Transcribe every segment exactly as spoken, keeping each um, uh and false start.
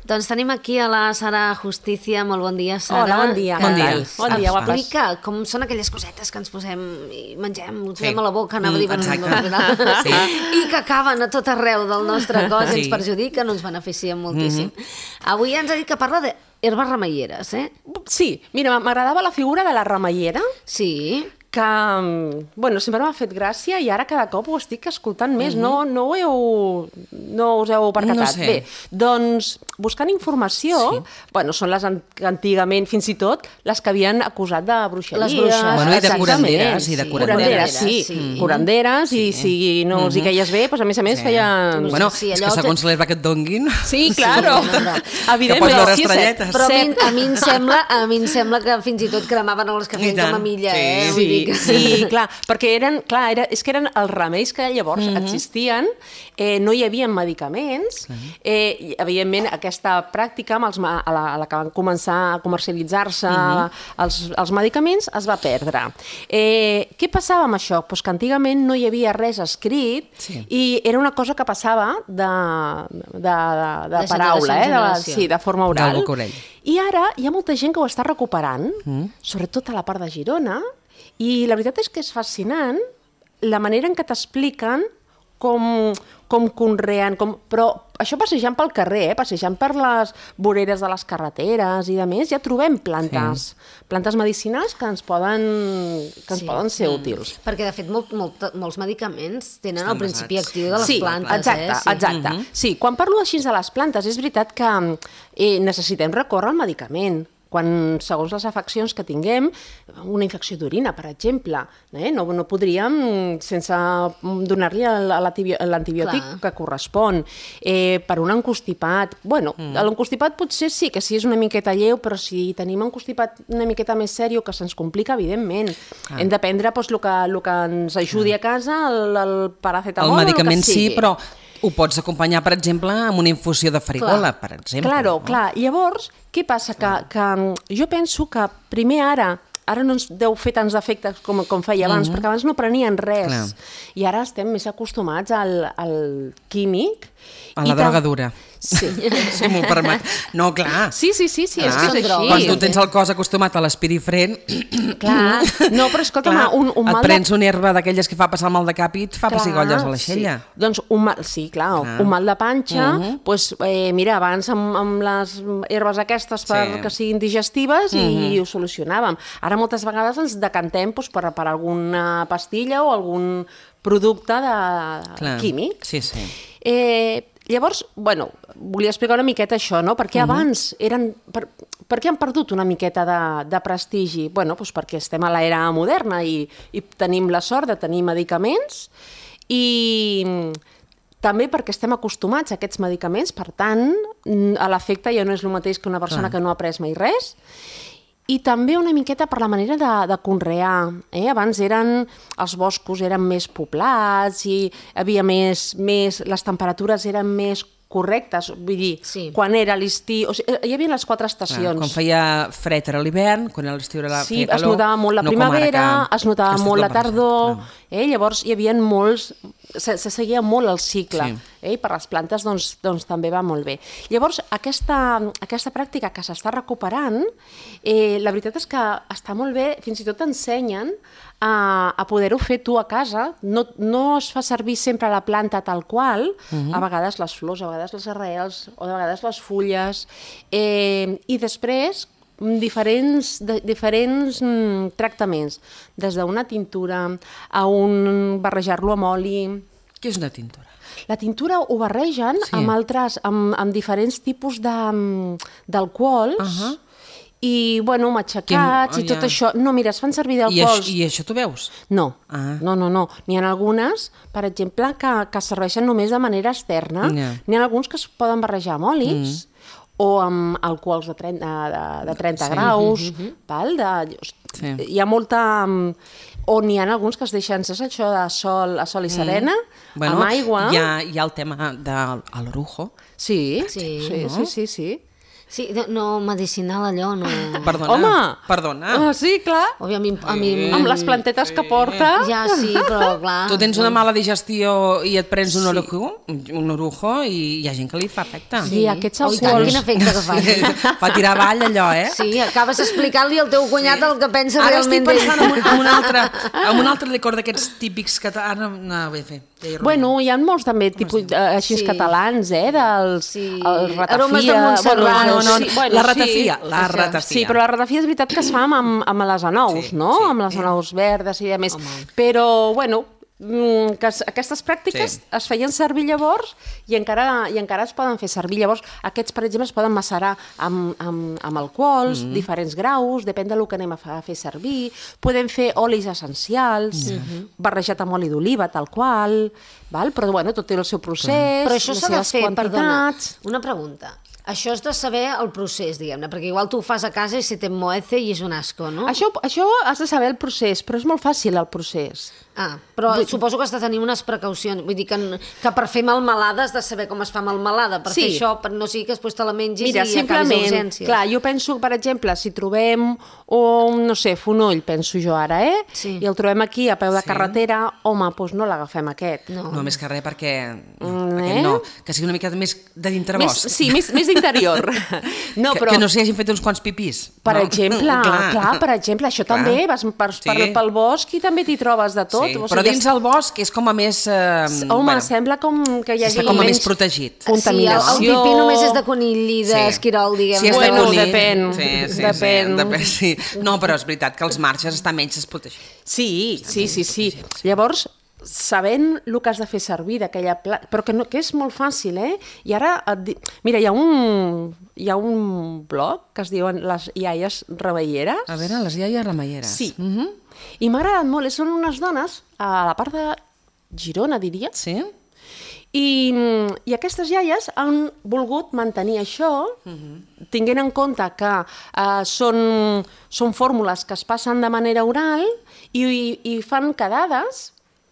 Doncs tenim aquí a la Sara Justicia. Molt bon dia, Sara. Hola, bon dia. Bon dia. Bon dia, guapes. Explica com són aquelles cosetes que ens posem i mengem, ho posem Sí. a la boca, anava a dir, Mm, bueno, sí. i que acaben a tot arreu del nostre cos, Sí. ens perjudiquen, ens beneficien moltíssim. Avui ens ha dit que parla d'herbes remeieres, eh? Sí, mira, m'agradava la figura de la remeiera, Sí. que, bueno, sempre m'ha fet gràcia i ara cada cop ho estic escoltant més. No, no ho heu... No us heu percatat. No sé. Bé, doncs, buscant informació, bueno, són les an- que antigament, fins i tot, les que havien acusat de bruixeria. Les bruixes. Bueno, i de Exactament. curanderes, i de Curanderes, sí. sí. Curanderes, i si no els hi queies bé, doncs a més a més Sí. feien... Bueno, Sí, és allò que segons l'herba que et donguin... Sí, claro. Sí, no, no. Evidentment. Que pots veure sí, estrelletes. Però a mi, set- a mi em sembla, a mi em sembla que fins i tot cremaven els que I feien tant, com a milla, sí. eh? Vull Sí, dir que... sí, clar, perquè eren, clar, era, és que eren els remeis que llavors mm -hmm. existien, eh, no hi havia medicaments, eh, i, evidentment aquesta pràctica, amb els, ma- a, la, a la que van començar a comercialitzar-se mm -hmm. els, els medicaments, es va perdre. Eh, què passava amb això? Pues que antigament no hi havia res escrit Sí. i era una cosa que passava de, de, de, de, De paraula, generació en eh? de, generació. sí, de forma oral. De boca a orella. I ara hi ha molta gent que ho està recuperant, mm. sobretot a la part de Girona, i la veritat és que és fascinant la manera en què t'expliquen com, com conreen, com... però això passejant pel carrer, eh? Passejant per les voreres de les carreteres i de més, ja trobem plantes, sí. plantes medicinals que ens poden, que ens Sí. poden ser útils. Perquè, de fet, molt, molt, molts medicaments tenen Estan el principi basats. actiu de les Sí, plantes. exacte, eh? Sí. exacte. Mm -hmm. Sí, quan parlo així de les plantes, és veritat que eh, necessitem recórrer al medicament. Quan, segons les afeccions que tinguem, una infecció d'orina, per exemple, eh? no, no podríem, sense donar-li l'antibiòtic Clar. que correspon. Eh, per un encostipat, bueno, mm. l'encostipat potser sí que sí és una miqueta lleu, però si tenim un encostipat una miqueta més sèrio, que se'ns complica, evidentment. Ah. Hem de prendre doncs, el, que, el que ens ajudi a casa, el, el paracetamol, El medicament el que sí, sigui. però ho pots acompanyar, per exemple, amb una infusió de farigola, Clar. per exemple. Claro, no? clar. Llavors, què passa? Que, que jo penso que primer ara, ara no ens deu fer tants efectes com, com feia abans, mm -hmm. perquè abans no prenien res. Clar. I ara estem més acostumats al, al químic. A i la tam- droga dura. Sí. Si m'ho permet. No, clar. Sí, sí, sí, sí, és Clar, que és són així. Quan tu tens el cos acostumat a l'espirifren, Clar. No, però escolta'm, clar, un, un mal et prens una herba d'aquelles que fa passar el mal de cap i et fa pessigolles a l'aixella. Sí. Doncs un mal, sí, clar, Clar. un mal de panxa, Uh -huh. doncs, eh, mira, abans amb, amb les herbes aquestes per, Sí. que siguin digestives Uh i -huh. ho solucionàvem. Ara moltes vegades ens decantem doncs, per, per alguna pastilla o algun producte de, Clar. químic. Sí, sí. Eh, llavors, bueno, volia explicar una miqueta això, no? Perquè Mhm. abans eren... Per, per què han perdut una miqueta de, de prestigi? Bueno, doncs perquè estem a l'era moderna i, i tenim la sort de tenir medicaments i també perquè estem acostumats a aquests medicaments, per tant, a l'efecte ja no és el mateix que una persona Clar. que no ha pres mai res. I també una miqueta per la manera de, de conrear. Eh? Abans eren, els boscos eren més poblats i havia més, més, les temperatures eren més correctes, vull dir, Sí. quan era l'estiu, o sigui, hi havia les quatre Clar, estacions. quan feia fred era l'hivern, quan era l'estiu era la Sí, feia calor. es notava molt la no com ara primavera, que- es notava que està molt la tot barrejat, tardor, clar. eh? Llavors hi havia molts, se, se seguia molt el cicle, Sí. eh? I per les plantes doncs, doncs també va molt bé. Llavors aquesta, aquesta pràctica que s'està recuperant, eh, la veritat és que està molt bé, fins i tot t'ensenyen a, a poder-ho fer tu a casa, no, no es fa servir sempre la planta tal qual, uh-huh. a vegades les flors, a vegades les arrels, o de vegades les fulles, eh, i després diferents, de, diferents mm, tractaments, des d'una tintura a un barrejar-lo amb oli. Què és una tintura? La tintura ho barregen Sí. amb altres, amb, amb diferents tipus de- d'alcohols, Uh-huh. i, bueno, matxacats Quin- i tot oh, ja. això. No, mira, es fan servir I, d'alcohols. això, I això tu veus? No, Ah. no, no, no. N'hi ha algunes, per exemple, que, que serveixen només de manera externa. Ja. N'hi ha alguns que es poden barrejar amb olis, mm. o amb alcohols de trenta, de, de trenta Sí. graus, val? De, Sí. hi ha molta... O n'hi ha alguns que es deixen, saps això de sol, a sol i serena, Bueno, amb aigua. hi ha, hi ha el tema de l'orujo. Sí, Sí, sí, no? sí, sí, sí. Sí, no, no medicinal allò, no... Perdona, Home! perdona. Ah, sí, clar. Òbviament, a mi, a mi... Amb les plantetes que porta. Ja, sí, però clar... Tu tens una mala digestió i et prens un Sí. orujo, un orujo i hi ha gent que li fa efecte. Sí, aquests Oh, i tant, alcohols... quin efecte que fa. Fa tirar avall allò, eh? Sí, acabes explicant-li al teu cunyat el que pensa Ara estic realment d'ell. pensant en un, en un altre, en un altre licor d'aquests típics que... Ara no ho vull fer. Ja hi arruïno. Bueno, hi ha molts també tipus eh, així Sí. catalans, eh, dels Sí. el ratafia... Aromes de Montserrat. No, no, sí, la ratafia, la Això. ratafia. Sí, però la ratafia és veritat que es fa amb, amb les anous, Sí, no? sí. Amb les anous verdes i a més. Però, bueno, mm, que es- aquestes pràctiques Sí. es feien servir llavors i encara, i encara es poden fer servir. Llavors, aquests, per exemple, es poden macerar amb, amb, amb alcohols, Mm-hmm. diferents graus, depèn del que anem a fa- a fer servir. Podem fer olis essencials, Mm-hmm. barrejat amb oli d'oliva, tal qual, val? Però bueno, tot té el seu procés, Però això les s'ha de seves fer, perdona, quantitats. una pregunta. Això és de saber el procés, diguem-ne, perquè igual tu ho fas a casa i se t'emmoece i és un asco, no? Això, això has de saber el procés, però és molt fàcil el procés. Ah, però suposo que has de tenir unes precaucions. Vull dir que, que per fer melmelada has de saber com es fa melmelada. Per Sí. fer això, per no sigui que després te la mengis Mira, i acabis a simplement, urgències. clar, jo penso, per exemple, si trobem un, no sé, fonoll, penso jo ara, eh? Sí. I el trobem aquí a peu de Sí. carretera, home, doncs no l'agafem aquest. No. No, més que res perquè... No, Mm, aquest eh? no, que sigui una mica més de dintre Més, bosc. sí, més, més d'interior. No, que, però, que no s'hi hagin fet uns quants pipís. per no? exemple, clar. clar, per exemple, això Clar. també, vas per, Sí. per, pel bosc i també t'hi trobes de tot. Sí, o però sigui, dins el bosc és com a més... Eh, Home, bueno, sembla com que hi hagi està com a més menys protegit. contaminació. Sí, el, el pipí només és de conill i Sí. d'esquirol, diguem. Si és de Bueno, conill, depèn, Sí, sí, depèn. Sí, depèn, sí. No, però és veritat que els marges estan menys desprotegits. Sí, sí, sí, sí. Llavors, sabent el que has de fer servir d'aquella planta, però que, no, que és molt fàcil, eh? I ara, et di... mira, hi ha, un, hi ha un blog que es diuen les iaies reveieres. A veure, les iaies remeieres. Sí. Mhm. I m'ha agradat molt, són unes dones a la part de Girona, diria, Sí? i, i aquestes iaies han volgut mantenir això, tinguent en compte que eh, són, són fórmules que es passen de manera oral i, i, i fan quedades,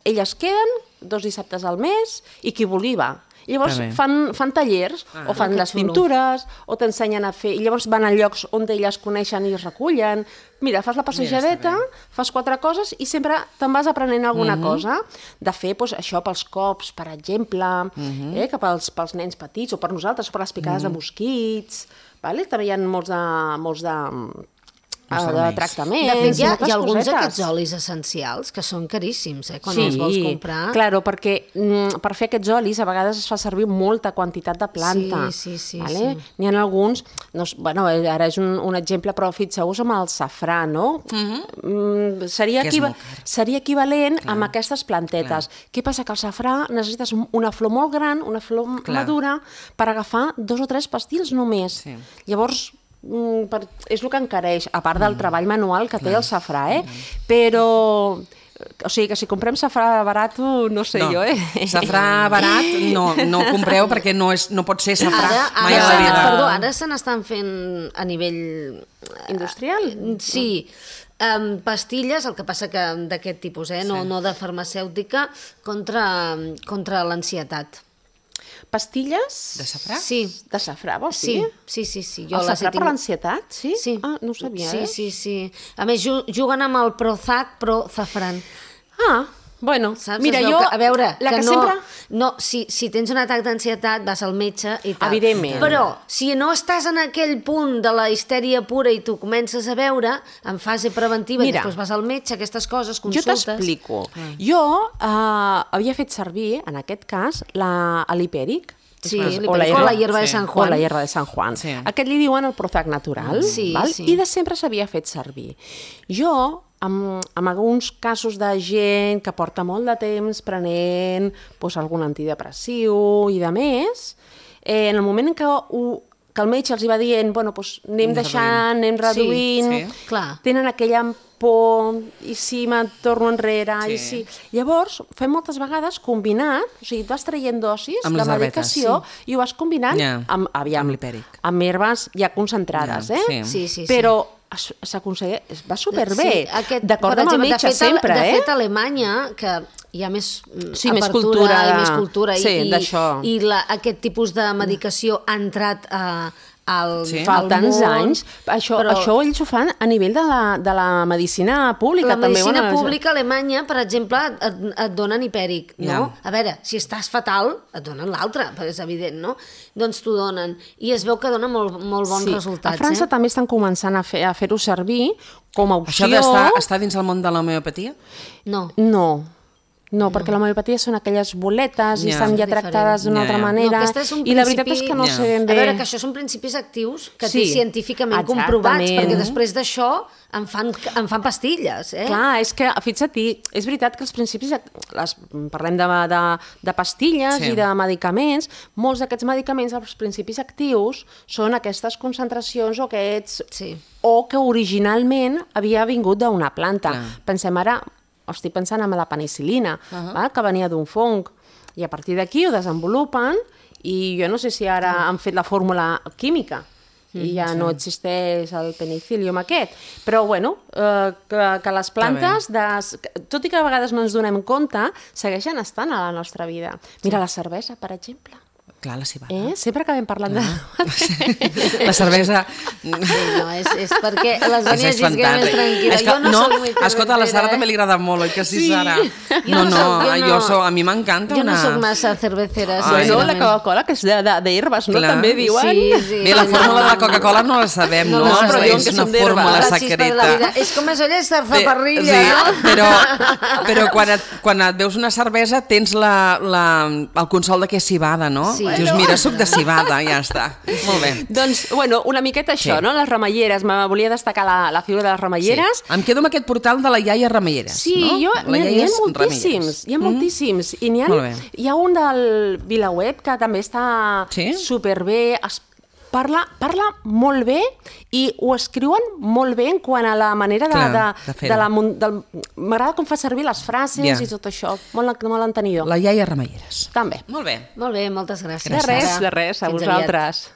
elles queden dos dissabtes al mes i qui vulgui va. Llavors Està bé. fan, fan tallers, ah, o fan que les xulo. pintures, o t'ensenyen a fer... I llavors van a llocs on elles coneixen i es recullen. Mira, fas la passejadeta, fas quatre coses i sempre te'n vas aprenent alguna Mhm. cosa. De fer doncs, això pels cops, per exemple, Mhm. eh, que pels, pels nens petits, o per nosaltres, o per les picades de mosquits. Vale? També hi ha molts de, molts de, eh, de remeis. tractaments. De fet, hi ha, moltes hi ha alguns cosetes. d'aquests olis essencials que són caríssims, eh? Quan els vols comprar. Claro, perquè mm, per fer aquests olis a vegades es fa servir molta quantitat de planta. Sí, sí, sí, vale? sí. N'hi ha alguns, no, és- bueno, ara és un, un exemple, però fixeu-vos amb el safrà, no? Mm, seria, Que és equiva molt car. seria equivalent amb aquestes plantetes. Què passa? Que el safrà necessites una flor molt gran, una flor Clar. madura, per agafar dos o tres pastils només. Sí. Llavors, mm, per, és el que encareix, a part del treball manual que té el safrà, eh? Però, o sigui, que si comprem safrà barat, no sé no, jo, eh? Safrà barat no, no ho compreu perquè no, és, no pot ser safrà Ara, mai a la ara, vida. perdó, ara se n'estan fent a nivell... Industrial? Sí, um, pastilles, el que passa que d'aquest tipus, eh? no, no de farmacèutica, contra, contra l'ansietat. Pastilles? De safrà? Sí, De safrà, vols sí, dir? sí, sí, sí. El les he safrà per tingut- l'ansietat, sí? Sí. Ah, no ho sabia, sí, eh? Sí, sí, A més, ju- juguen amb el Prozac, Prozafran. Ah, bueno, Saps? mira, Es veu jo... Que, a veure, la que, que no, sempre... no si, si tens un atac d'ansietat vas al metge i tal. Evidentment. Però si no estàs en aquell punt de la histèria pura i tu comences a veure, en fase preventiva, Mira, i després vas al metge, aquestes coses, Jo consultes... t'explico. Jo eh, havia fet servir, en aquest cas, la l'hipèric. Sí, o l'hipèric, la o hierba, la hierba de sí. San o Juan. la hierba de San Juan. Sí. Aquest li diuen el Prozac natural, Sí, val? sí. I de sempre s'havia fet servir. Jo, amb, amb alguns casos de gent que porta molt de temps prenent doncs, algun antidepressiu i de més, eh, en el moment en què, ho, que el metge els hi va dient bueno, doncs anem Anem deixant, anem reduint, sí. Clar. tenen aquella por, i si me'n torno enrere, Sí. i si... Llavors, fem moltes vegades combinat, o sigui, tu vas traient dosis Amb de les herbetes, medicació i ho vas combinant Ja, amb, aviam, amb l'hipèric. amb herbes ja concentrades, Ja, eh? sí. Sí, sí, sí. Però es- s'aconsegueix, va superbé, Sí, aquest, d'acord per amb el exemple, metge de fet, a- sempre, de eh? fet, a Alemanya, que hi ha més mm, Sí, més apertura cultura i de- més cultura, sí, i, d'això. i la, aquest tipus de medicació ha entrat a, al, Sí. Fa al tants món, anys. Això, però això ells ho fan a nivell de la, de la medicina pública. la medicina també, bueno, pública a Alemanya, per exemple, et, et donen hipèric, no? Ja. A veure, si estàs fatal, et donen l'altre, perquè és evident, no? Doncs t'ho donen. I es veu que dona molt, molt bons sí. resultats. A França eh? també estan començant a fer- a fer-ho servir com a opció. Això d'estar està dins el món de l'homeopatia? No. No, no, perquè l'homeopatia són aquelles boletes i Ja. estan ja És tractades d'una Ja, altra ja. manera. No, aquest és un I la veritat és principi- que no Ja. sé ben A bé... veure, que això són principis actius que Sí, té científicament exactament. comprovats, perquè després d'això en fan, en fan pastilles, eh? Clar, és que, fixa't-hi, és veritat que els principis, les, parlem de, de, de pastilles Sí. i de medicaments, molts d'aquests medicaments, els principis actius, són aquestes concentracions o aquests... Sí. o que originalment havia vingut d'una planta. Clar. Pensem ara, estic pensant en la penicil·lina, uh -huh. val? Que venia d'un fong, i a partir d'aquí ho desenvolupen, i jo no sé si ara han fet la fórmula química, i ja no existeix el penicil·lium aquest. Però, bueno, eh, que, que les plantes, des, tot i que a vegades no ens donem compte, segueixen estant a la nostra vida. Mira, la cervesa, per exemple. Clar, la cibada. Eh? Sempre acabem parlant de... La cervesa... Sí, no, és, és perquè les És, venies és dient que era més fantàstic. tranquil·la. És que, Jo no, soc muy escolta, a la Sara cervecera, també li agrada molt, oi que sí, Sí. Sara? Jo No, no no, soc- jo jo no- soc, a mi m'encanta Jo una... no soc massa cervecera, Ai. Bueno, la sincerament. Coca-Cola, que és d'herbes, no? Clar. També diuen. Sí, sí. Bé, la fórmula de la Coca-Cola no la sabem, No no? la sabem. Però És diuen que una són d'herba. fórmula La xispa de la vida. secreta. És com això és Bé, zarzaparrilla, sí, no? però, però quan, et, quan et veus una cervesa tens la, la, el consol de que és cibada, no? Sí. Dius, mira, suc de cibada, ja està. Molt bé. Doncs, bueno, una miqueta això, Sí. no? Les remeieres. Me volia destacar la, la figura de les remeieres. Sí. Em quedo amb aquest portal de la iaia Remeieres, Sí, no? jo, La n'hi ha, n'hi ha iaia moltíssims, Remeieres. hi ha moltíssims. I n'hi ha, Molt bé. hi ha un del VilaWeb que també està Sí? superbé, es parla, parla molt bé i ho escriuen molt bé en quant a la manera de... Clar, de, de de, fer-ho. la, mun- del- M'agrada com fa servir les frases Ja. i tot això, molt, molt entenidor. La iaia Remeieres. També. Molt bé. Molt bé, moltes gràcies. De res, Sara. de res, a Fins aviat. vosaltres.